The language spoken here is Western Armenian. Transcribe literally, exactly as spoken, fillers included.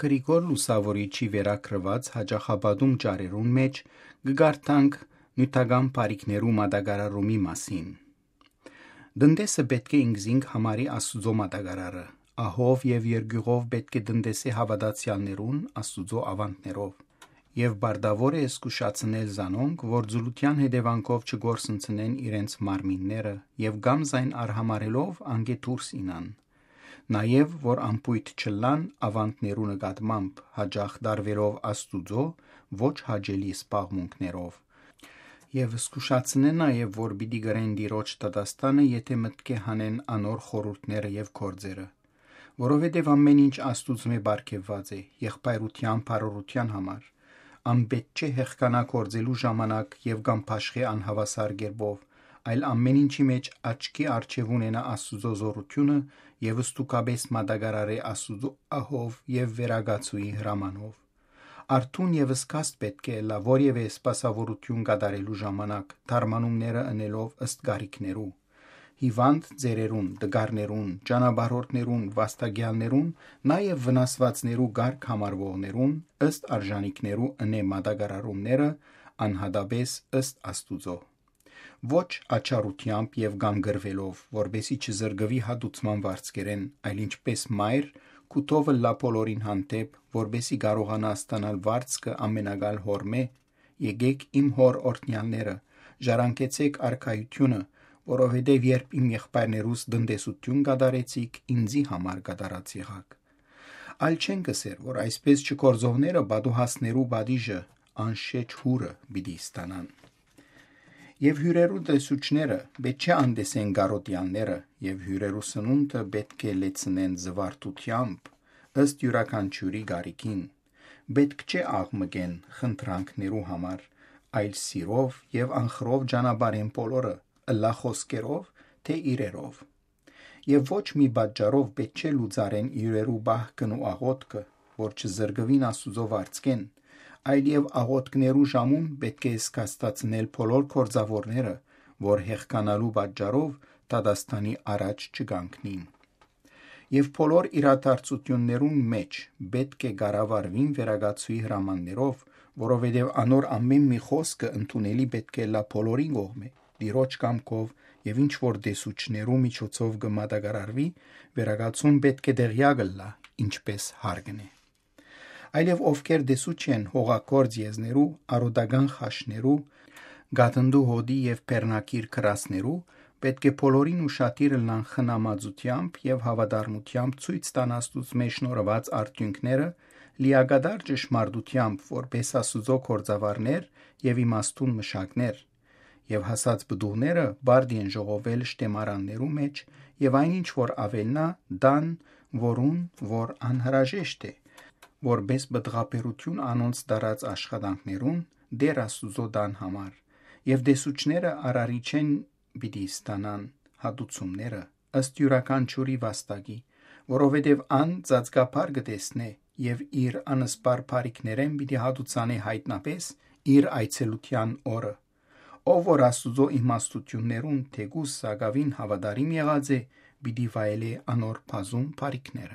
Գրիգոր Լուսաւորիչի վերագրուած յաճախապատում ճառերուն մէջ կը կարդանք նիւթական բարիքներու մատակարարումի մասին։ Տնտեսը պէտք է ինքզինք համարի Աստուծոյ մատակարարը, ահով եւ երկիւղով պէտք է տնտեսէ հաւատացեալներուն Աստուծոյ աւանդներով։ Եւ բարդաւոր է զգուշացնել զանոնք, որ ձուլութեան հետեւանքով չկորսնցնեն իրենց մարմինները եւ կամ զայն արհամարելով անկէ դուրս ինան։ Նաեւ որ անփոյթ չըլլան աւանդներու նկատմամբ, յաճախ դարուելով Աստուծոյ ոչ հաճելի զբաղմունքներով։ Եւ զգուշացնէ նաեւ, որ պիտի կրեն Տիրոջ դատաստանը, եթէ մտքէ հանեն անոր խորհուրդները եւ գործերը։ Որովհետեւ ամէն ինչ Աստուծմէ պարգեւուած է, եղբայրութեան բարօրութեան համար։ Ան պէտք չէ հեղքանայ գործելու ժամանակ եւ կամ բաշխէ անհաւասար կերպով, այլ ամէն ինչի մէջ աչքի առջեւ ունենայ Աստուծոյ զօրութիւնը եւ ստուգապէս մատակարարէ Աստուծոյ ահով եւ վերակացուի հրամանով։ Արթուն եւ զգաստ պէտք է ըլլայ որեւէ սպասաւորութիւն կատարելու ժամանակ, դարմանումները ընելով ըստ կարիքներու։ Հիւանդ ձեռերուն, տկարներուն, ճանապարհորդներուն, վաստակեալներուն, նաեւ վնասուածներու կարգ համարուողներուն, ըստ արժանիքներու ընէ մատակարարումները, անհատապէս ըստ Աստուծոյ։ Ոչ աչառութեամբ եւ կամ կռուելով, որպեսզի չզրկուի հատուցման վարձքերէն, այլ ինչպէս մայր, կու թով ըլլայ բոլորին հանդէպ, որպեսզի կարողանայ ստանալ վարձքը ամենակալ հօրմէ։ Եկէք իմ հօր օրհնեալները, ժառանգեցէք արքայութիւնը, որովհետեւ երբ իմ եղբայրներուս տնտեսութիւն կատարեցիք, ինծի համար կատարած եղաք։ Այլ չենք ըսեր, որ այսպէս չգործողները պատուհասներու պատիժը անշէջ յուրը պիտի ստանան։ Եւ հիւրերու տեսուչները պէտք չէ անտեսեն կարոտեալները, եւ հիւրերու սնունդը պէտք է լեցնեն զվարթութեամբ, ըստ իւրաքանչիւրի կարիքին։ Պէտք չէ աղմկեն խնդրանքներու համար, այլ սիրով եւ անխռով ճանապարհեն բոլորը, ըլլայ խօսքերով, թէ իրերով։ Եւ ոչ մի պատճառով պէտք չէ լուծարեն իրերու պահքն ու աղոթքը, որ չզրկուին Աստուծոյ վարձքէն, այլ եւ աղոթքներու ժամուն պէտք է զգաստացնել բոլոր գործաւորները, որ հեղկանալու պատճառով դատաստանի առաջ չկանգնին։ Եւ բոլոր իրադարձութիւններուն մէջ պէտք է կառավարուին վերակացուի հրամաններով, որովհետեւ անոր ամէն մի խօսքը ընդունելի պէտք է ըլլայ բոլորին կողմէ, Տիրոջ կամքով, եւ ինչ որ տեսուչներու միջոցով կը մատակարարուի, վերակացուն պէտք է տեղեակ ըլլայ, ինչպէս հարկն է։ Այլեւ ովքեր տեսուչ են հողագործ եզներու, արօտական խաշներու, գատնդու հոտի եւ բեռնակիր գրածներու, պէտք է բոլորին ուշադիր ըլլան խնամածութեամբ եւ հաւատարմութեամբ ցոյց տան Աստուծմէ շնորհուած արդիւնքները, լիակատար ճշմարտութեամբ, որպէս Աստուծոյ գործաւարներ եւ իմաստուն մշակներ։ Եւ հասած պտուղները բարդ են ժողովել շտեմարաններու մէջ, եւ այն ինչ որ աւելնայ, տան, որուն որ անհրաժեշտ է, որպէս պտղաբերութիւն անոնց տարած աշխատանքներուն Տէր Աստուծոյ տան համար, եւ տեսուչները արարիչէն պիտի ստանան հատուցումները ըստ իւրաքանչիւրի վաստակի, որովհետեւ ան ծածկաբար կը տեսնէ եւ իր անսպառ բարիքներէն պիտի հատուցանէ յայտնապէս իր այցելութեան օրը։ Ով որ Աստուծոյ իմաստութիւններուն թէկուզ սակաւին հաւատարիմ եղած է, պիտի վայելէ անոր բազում բարիքները։